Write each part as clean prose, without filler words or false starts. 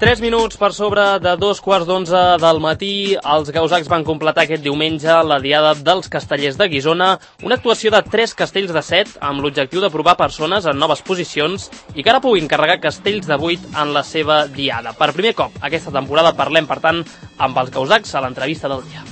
3 minuts per sobre de 2:15 del matí, els gausacs van completar aquest diumenge la Diada dels Castellers de Guissona, una actuació de 3 castells de 7 amb l'objectiu de provar persones en noves posicions i que ara puguin carregar castells de 8 en la seva diada. Per primer cop aquesta temporada parlem, per tant, amb els gausacs a l'entrevista del dia.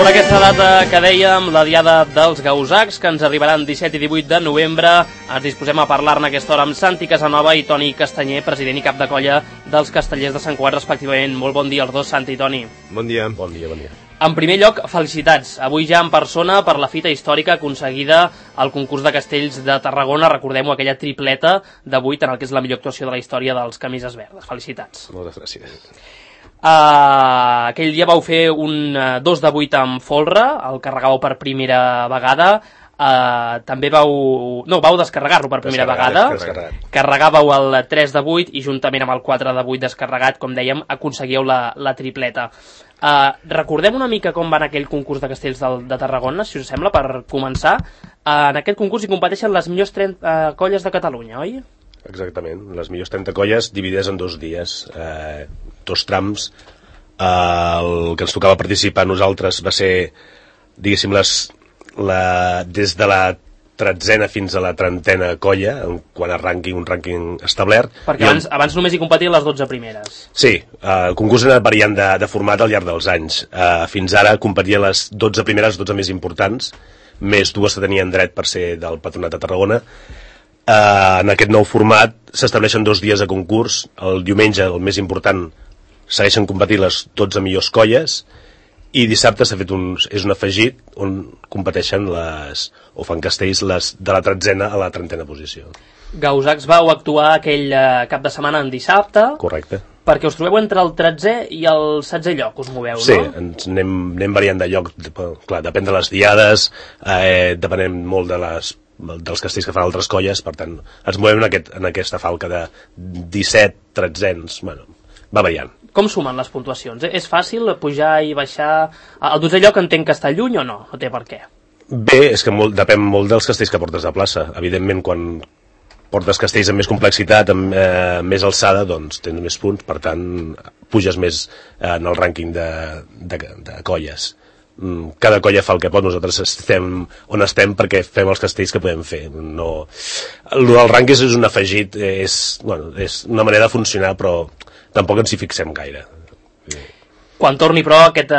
Sobre aquesta data que dèiem, la Diada dels Gausacs, que ens arribaran 17 i 18 de novembre, ens disposem a parlar-ne aquesta hora amb Santi Casanova i Toni Castanyer, president i cap de colla dels Castellers de Sant Cugat, respectivament. Molt bon dia als dos, Santi i Toni. Bon dia. Bon dia, bon dia. En primer lloc, felicitats. Avui ja en persona per la fita històrica aconseguida al concurs de castells de Tarragona. Recordem-ho, aquella tripleta de 8 en el que és la millor actuació de la història dels Camises Verdes. Felicitats. Moltes gràcies. Aquell dia vau fer un 2 de 8 amb folre, el carregàveu per primera vegada. També vau descarregar-lo per primera vegada. Carregàveu el 3 de 8 i juntament amb el 4 de 8 descarregat, com dèiem, aconseguíeu la tripleta. Recordem una mica com va aquell concurs de castells de Tarragona, si us sembla, per començar. En aquest concurs hi competeixen les millors 30 colles de Catalunya, oi? Exactament, les millors 30 colles dividides en 2 dies, 2 trams. El que ens tocava participar a nosaltres va ser, diguéssim, des de la 13a fins a la 30a colla, quan a un rànquing establert. Perquè abans només hi competien les 12 primeres. Sí, el concurs era variant de format al llarg dels anys. Fins ara competien les 12 primeres, 12 més importants, més 2 que tenien dret per ser del Patronat de Tarragona. En aquest nou format s'estableixen 2 dies de concurs. El diumenge, el més important, segueixen competint les 12 millors colles, i dissabte s'ha fet és un afegit on competeixen o fan castells de la 13a a la 30a posició. Gausacs vau actuar aquell cap de setmana en dissabte. Correcte. Perquè us trobeu entre el 13è i el 16è lloc, us moveu, no? Sí, ens anem variant de lloc. Clar, depèn de les diades, depenem molt dels castells que fan altres colles, per tant, ens movem en aquesta falca de 17, 13, bueno, va variant. Com sumen les puntuacions? És fàcil pujar i baixar? El 12è lloc entenc que està lluny o no? No té per què. Bé, és que depèn molt dels castells que portes a plaça. Evidentment, quan portes castells amb més complexitat, amb més alçada, doncs tens més punts, per tant, puges més en el rànquing de colles. Cada colla fa el que pot, nosaltres estem on estem perquè fem els castells que podem fer. El del rànquing és un afegit, és una manera de funcionar, però tampoc ens hi fixem gaire. Quan torni, però, aquest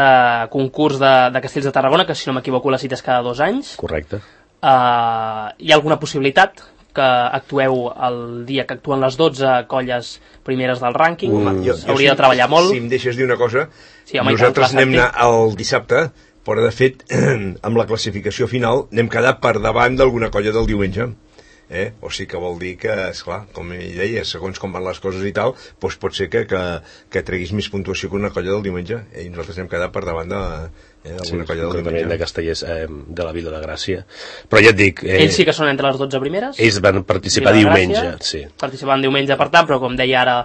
concurs de castells de Tarragona, que si no m'equivoco la cita és cada 2 anys. Correcte. Hi ha alguna possibilitat que actueu el dia que actuen les 12 colles primeres del rànquing? S'hauria de treballar molt. Si em deixes dir una cosa, sí, home, nosaltres anem el dissabte, però de fet, amb la classificació final, anem quedar per davant d'alguna colla del diumenge. O sigui que vol dir que, esclar, com ell deia, segons com van les coses i tal, doncs pot ser que treguis més puntuació que una colla del diumenge, i nosaltres hem quedat per davant d'alguna colla del diumenge. De Castellers de la Vila de Gràcia. Però ja et dic... Ells sí que són entre les 12 primeres? Ells van participar diumenge, sí. Participaven diumenge, per tant, però com deia ara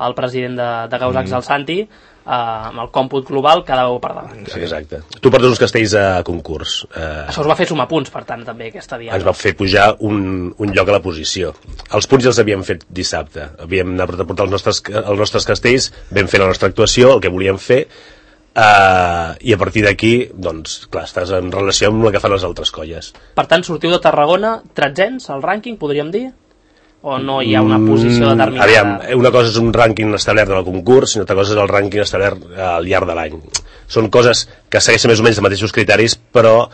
el president de Gausacs, el Santi, amb el còmput global quedàveu per davant. Sí, exacte. Tu portes uns castells a concurs. Això us va fer sumar punts, per tant, també, aquesta diada. Ens va fer pujar un lloc a la posició. Els punts ja els havíem fet dissabte. Havíem anat a portar els nostres castells, vam fer la nostra actuació, el que volíem fer, i a partir d'aquí, doncs, clar, estàs en relació amb el que fan les altres colles. Per tant, sortiu de Tarragona 13ens al rànquing, podríem dir? O no hi ha una posició determinada? Aviam, una cosa és un rànquing establert del concurs i una altra cosa és el rànquing establert al llarg de l'any. Són coses que segueixen més o menys els mateixos criteris, però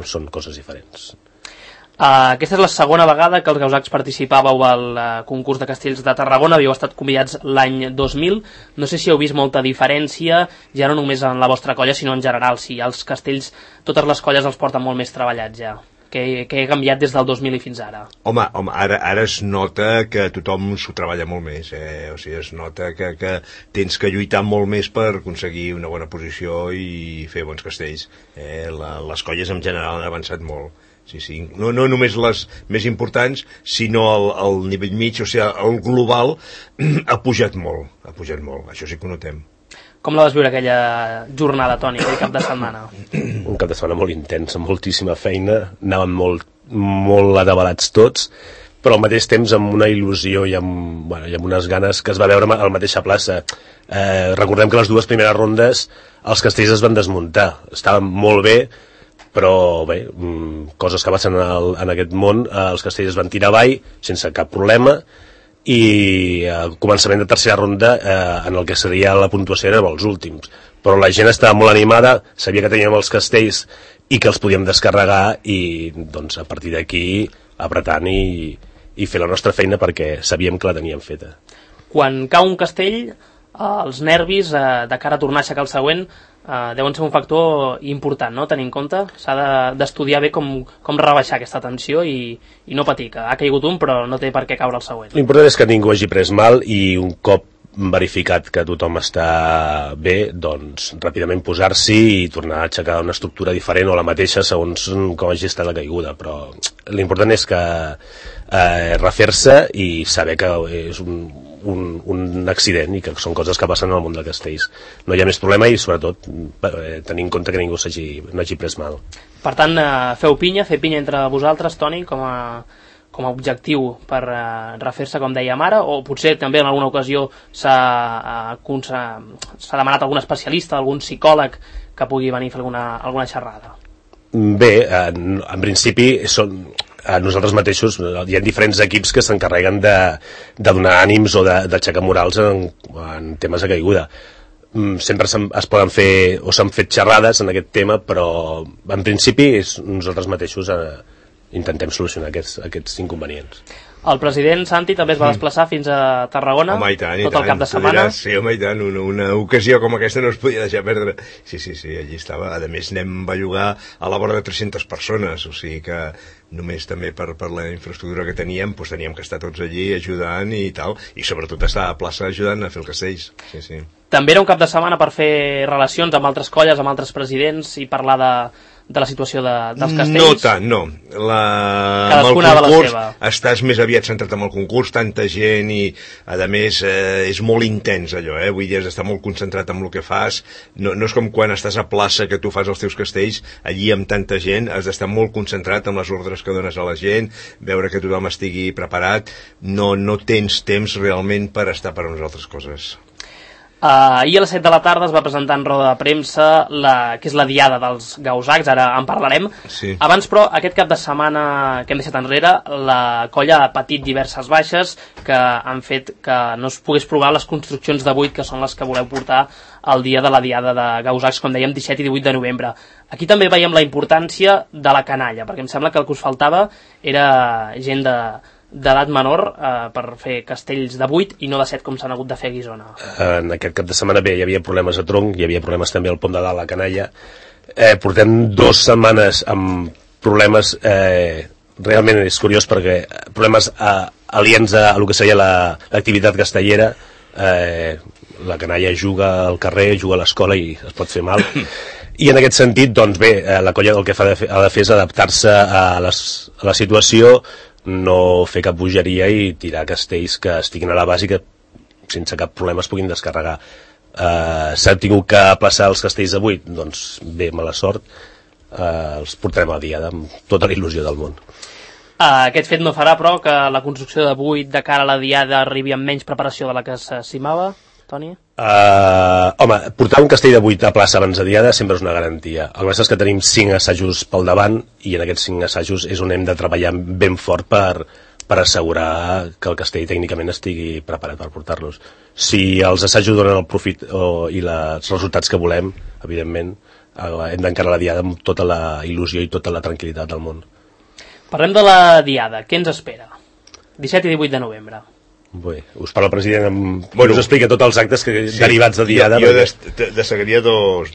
són coses diferents. Aquesta és la segona vegada que els gausacs participàveu al concurs de castells de Tarragona. Havíeu estat convidats l'any 2000. No sé si heu vist molta diferència, ja no només en la vostra colla, sinó en general, si els castells, totes les colles els porten molt més treballats ja. Que ha canviat des del 2000 i fins ara? Home, ara es nota que tothom s'ho treballa molt més, o sigui, es nota que tens que lluitar molt més per aconseguir una bona posició i fer bons castells. Les colles en general han avançat molt. Sí. No només les més importants, sinó el nivell mig, o sigui, el global ha pujat molt, això sí que ho notem. Com la vas viure aquella jornada, Toni, aquell cap de setmana? Un cap de setmana molt intens, amb moltíssima feina, anàvem molt atabalats tots, però al mateix temps amb una il·lusió i amb unes ganes que es va veure a la mateixa plaça. Recordem que les 2 primeres rondes els castells es van desmuntar, estaven molt bé, però bé, coses que passen en aquest món, els castells es van tirar avall sense cap problema, i al començament de tercera ronda en el que seria la puntuació érem els últims, però la gent estava molt animada, sabia que teníem els castells i que els podíem descarregar, i doncs a partir d'aquí apretant i fer la nostra feina perquè sabíem que la teníem feta. Quan cau un castell, els nervis de cara a tornar a aixecar el següent deuen ser un factor important, no? Tenir en compte, s'ha d'estudiar bé com rebaixar aquesta tensió i no patir, que ha caigut un però no té per què caure el següent. L'important és que ningú hagi pres mal, i un cop verificat que tothom està bé, doncs ràpidament posar-s'hi i tornar a aixecar una estructura diferent o la mateixa segons com hagi estat la caiguda, però l'important és que refer-se i saber que és un accident i que són coses que passen al món de castells. No hi ha més problema, i sobretot tenir en compte que ningú no hagi pres mal. Per tant, feu pinya, fer pinya entre vosaltres, Toni, com a objectiu per refer-se, com dèiem ara, o potser també en alguna ocasió s'ha demanat algun especialista, algun psicòleg que pugui venir a fer alguna xerrada? Bé, en principi nosaltres mateixos hi ha diferents equips que s'encarreguen de donar ànims o d'aixecar morals en temes de caiguda. Sempre es poden fer o s'han fet xerrades en aquest tema, però en principi nosaltres mateixos intentem solucionar aquests inconvenients. El president Santi també es va desplaçar fins a Tarragona, home, i tant, tot el cap de setmana. Sí, home, i tant, una ocasió com aquesta no es podia deixar perdre. Sí, allí estava. A més, anem a bellugar a la vora de 300 persones, o sigui que només també per la infraestructura que teníem, doncs teníem que estar tots allí ajudant i tal, i sobretot estar a plaça ajudant a fer el castells. Sí. També era un cap de setmana per fer relacions amb altres colles, amb altres presidents, i parlar de la situació dels castells? No tant, no. Cadascuna amb el concurs estàs més aviat centrat en el concurs, tanta gent, i a més és molt intens allò, vull dir, has d'estar molt concentrat en el que fas. No és com quan estàs a plaça que tu fas els teus castells, allí amb tanta gent has d'estar molt concentrat en les ordres que dones a la gent, veure que tothom estigui preparat. No tens temps realment per estar per a unes altres coses. Ahir a les 7 de la tarda es va presentar en roda de premsa que és la diada dels Gausacs, ara en parlarem. Sí. Abans, però, aquest cap de setmana que hem deixat enrere, la colla ha patit diverses baixes que han fet que no es pogués provar les construccions de 8 que són les que voleu portar el dia de la diada de Gausacs, com dèiem, 17 i 18 de novembre. Aquí també veiem la importància de la canalla, perquè em sembla que el que us faltava era gent d'edat menor per fer castells de 8 i no de 7 com s'han hagut de fer a Guissona. En aquest cap de setmana bé, hi havia problemes a Tronc, hi havia problemes també al Pont de Dalt, a la Canalla. Portem 2 setmanes amb problemes, realment és curiós perquè problemes aliens a el que seria l'activitat castellera. La canalla juga al carrer, juga a l'escola i es pot fer mal. I en aquest sentit, doncs bé, la colla el que ha de fer és adaptar-se a la situació, no fer cap bogeria i tirar castells que estiguin a la base i que sense cap problema es puguin descarregar. S'ha tingut que aplaçar els castells de 8, doncs bé, mala sort, els portarem a la diada amb tota la il·lusió del món. Aquest fet no farà, però, que la construcció de 8 de cara a la diada arribi amb menys preparació de la que s'estimava, Toni? Home, portar un castell de 8 a plaça abans de diada sempre és una garantia. El que passa és que tenim 5 assajos pel davant i en aquests 5 assajos és on hem de treballar ben fort per assegurar que el castell tècnicament estigui preparat per portar-los. Si els assajos donen el profit i els resultats que volem, evidentment hem d'encarar la diada amb tota la il·lusió i tota la tranquil·litat del món. Parlem de la diada. Què ens espera? 17 i 18 de novembre. Bé, us parla el president, us explica tots els actes derivats de diada. Jo destacaria dos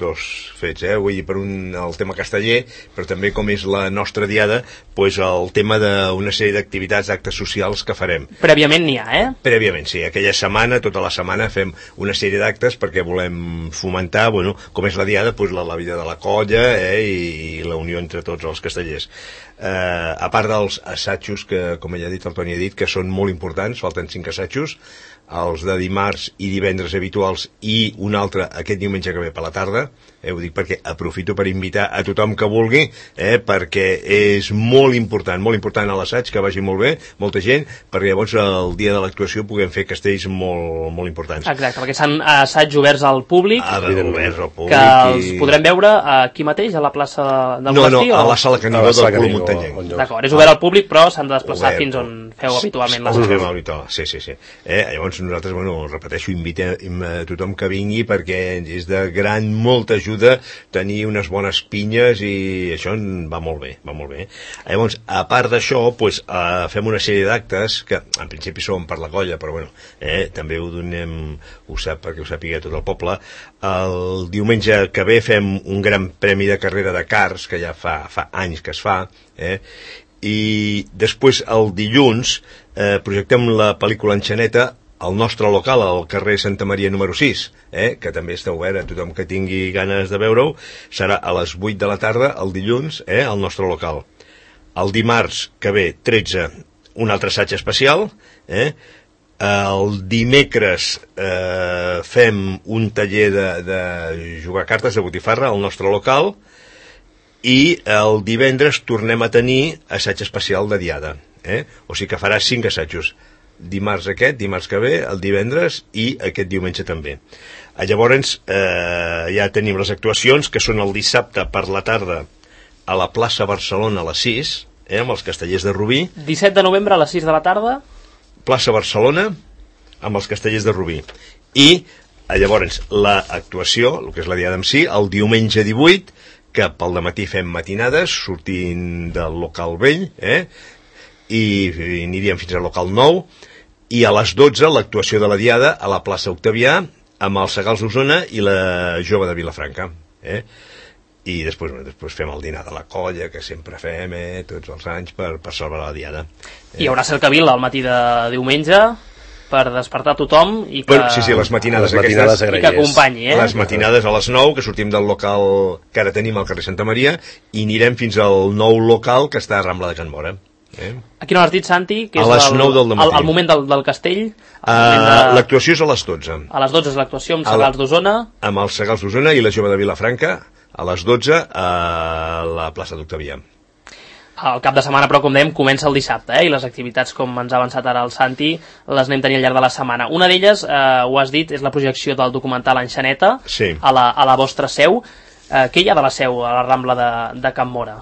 fets, vull dir, per el tema casteller, però també com és la nostra diada, doncs el tema d'una sèrie d'activitats, d'actes socials que farem. Prèviament n'hi ha, Prèviament, sí. Aquella setmana, tota la setmana, fem una sèrie d'actes perquè volem fomentar, com és la diada, doncs la vida de la colla i la unió entre tots els castellers. A part dels assajos que, com ella ha dit, el Toni ha dit, que són molt importants, falten 5 5 assajos, els de dimarts i divendres habituals i un altre aquest diumenge que ve per la tarda. Ho dic perquè aprofito per invitar a tothom que vulgui, perquè és molt important a l'assaig, que vagi molt bé, molta gent, perquè llavors el dia de l'actuació puguem fer castells molt, molt importants. Exacte, perquè són assaigs oberts al públic, que els podrem veure aquí mateix, a la plaça del Monestir? No, a la sala Canigó del Club Muntanyenc. D'acord, és obert al públic, però s'han de desplaçar fins on feu habitualment l'assaig. Sí. Llavors nosaltres, repeteixo, invitem a tothom que vingui perquè és de molta ajuda tenir unes bones pinyes i això va molt bé. Llavors, a part d'això, fem una sèrie d'actes que en principi són per la colla, però també ho donem, perquè ho sàpiga tot el poble. El diumenge que ve fem un gran premi de carrera de karts, que ja fa anys que es fa, i després el dilluns projectem la pel·lícula Enxaneta al nostre local, al carrer Santa Maria número 6, que també està obert a tothom que tingui ganes de veure-ho. Serà a les 8 de la tarda, el dilluns, al nostre local. El dimarts que ve, 13, un altre assaig especial. El dimecres fem un taller de jugar cartes de botifarra al nostre local. I el divendres tornem a tenir assaig especial de diada. O sigui que farà 5 assajos. Dimarts que ve, el divendres i aquest diumenge també. Llavors ja tenim les actuacions, que són el dissabte per la tarda a la plaça Barcelona a les 6, amb els castellers de Rubí. 17 de novembre a les 6 de la tarda. Plaça Barcelona amb els castellers de Rubí. I llavors l'actuació, el que és la diada en si, el diumenge 18, que pel dematí fem matinades sortint del local vell, i aniríem fins al local 9, i a les 12 l'actuació de la diada a la plaça Octavià amb els Segals d'Osona i la Jove de Vilafranca. I després fem el dinar de la colla, que sempre fem tots els anys per celebrar la diada. Hi haurà cercavila al matí de diumenge per despertar tothom i que... Sí, les matinades aquestes, i que acompanyi, Les matinades a les 9, que sortim del local que ara tenim al carrer Santa Maria, i anirem fins al nou local que està a Rambla de Can Móra. Aquí no has dit, Santi, que és el moment del castell. L'actuació és a les 12. A les 12 és l'actuació amb Segals d'Osona. Amb els Segals d'Osona i la Jove de Vilafranca, a les 12 a la plaça d'Octavià. El cap de setmana, però, com dèiem, comença el dissabte, i les activitats, com ens ha avançat ara el Santi, les anem tenint al llarg de la setmana. Una d'elles, ho has dit, és la projecció del documental Enxaneta, a la vostra seu. Què hi ha de la seu a la Rambla de Can Móra?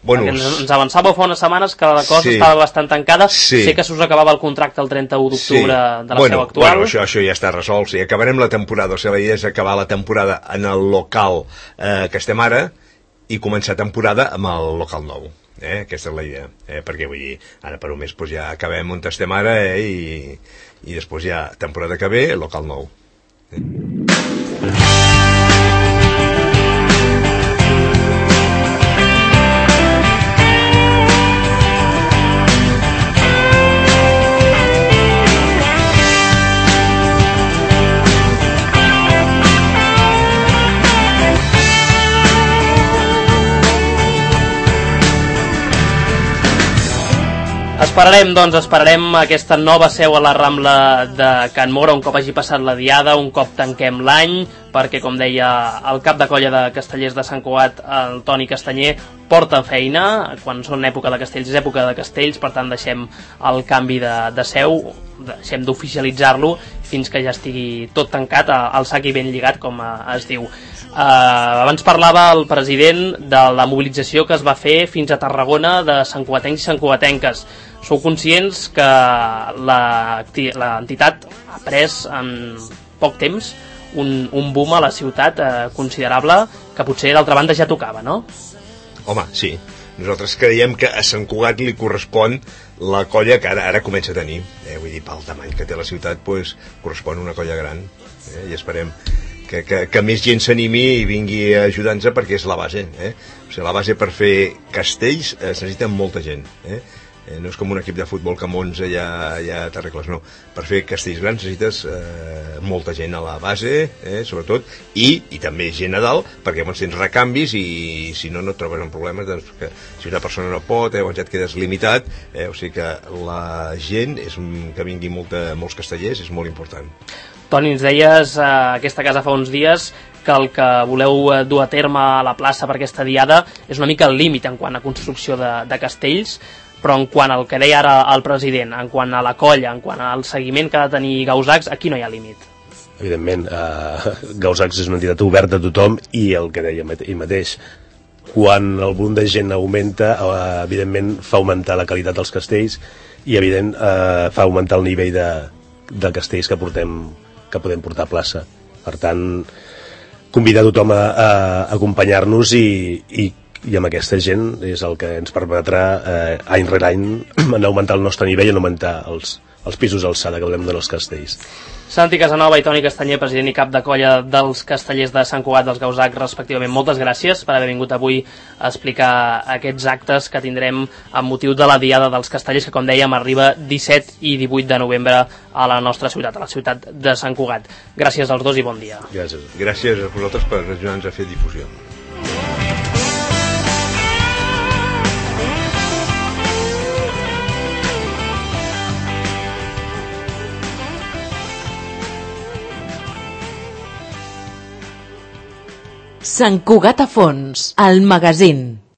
Ens avançàveu fa unes setmanes que la cosa estava bastant tancada. Sé que s'us acabava el contracte el 31 d'octubre de la seu actual. Això ja està resolt. Sí, acabarem la temporada. La idea és acabar la temporada en el local que estem ara i començar temporada amb el local nou. Aquesta és la idea. Perquè vull dir, ara per un mes ja acabem on estem ara i després ja temporada que ve, local nou. Esperarem aquesta nova seu a la Rambla de Can Móra un cop hagi passat la diada, un cop tanquem l'any, perquè, com deia el cap de colla de Castellers de Sant Cugat, el Toni Castanyer, porta feina. Quan són època de castells és època de castells, per tant deixem el canvi de seu, deixem d'oficialitzar-lo fins que ja estigui tot tancat, al sac i ben lligat, com es diu. Abans parlava el president de la mobilització que es va fer fins a Tarragona de santcugatencs i santcugatenques. Sou conscients que l'entitat ha pres en poc temps un boom a la ciutat considerable, que potser d'altra banda ja tocava, no? Home, sí. Nosaltres creiem que a Sant Cugat li correspon la colla que ara comença a tenir. Vull dir, pel tamany que té la ciutat, correspon una colla gran. I esperem que més gent s'animi i vingui a ajudar-nos, perquè és la base. O sigui, la base per fer castells es necessita molta gent. No és com un equip de futbol que amb 11 ja t'arregles, no. Per fer castells grans necessites molta gent a la base, sobretot, i també gent a dalt, perquè llavors tens recanvis i si no, no et trobes en problemes, doncs, que si una persona no pot, llavors ja et quedes limitat, o sigui que la gent, que vingui molts castellers, és molt important. Toni, ens deies aquesta casa fa uns dies que el que voleu dur a terme a la plaça per aquesta diada és una mica el límit en quant a construcció de castells, però en quant al que deia ara el president, en quant a la colla, en quant al seguiment que ha de tenir Gausacs, aquí no hi ha límit. Evidentment, Gausacs és una entitat oberta a tothom i el que deia ell mateix, quan el volum de gent augmenta, evidentment fa augmentar la qualitat dels castells i evident fa augmentar el nivell de castells que podem portar a plaça. Per tant, convidar tothom a acompanyar-nos i amb aquesta gent és el que ens permetrà any rere any en augmentar el nostre nivell i en augmentar els pisos d'alçada que volem donar als castells. Santi Casanova i Toni Castanyer, president i cap de colla dels castellers de Sant Cugat dels Gausacs, respectivament. Moltes gràcies per haver vingut avui a explicar aquests actes que tindrem amb motiu de la Diada dels Castellers, que, com dèiem, arriba 17 i 18 de novembre a la nostra ciutat, a la ciutat de Sant Cugat. Gràcies als dos i bon dia. Gràcies. Gràcies a vosaltres per ajudar-nos a fer difusió. Sant Cugat a fons, el magazín.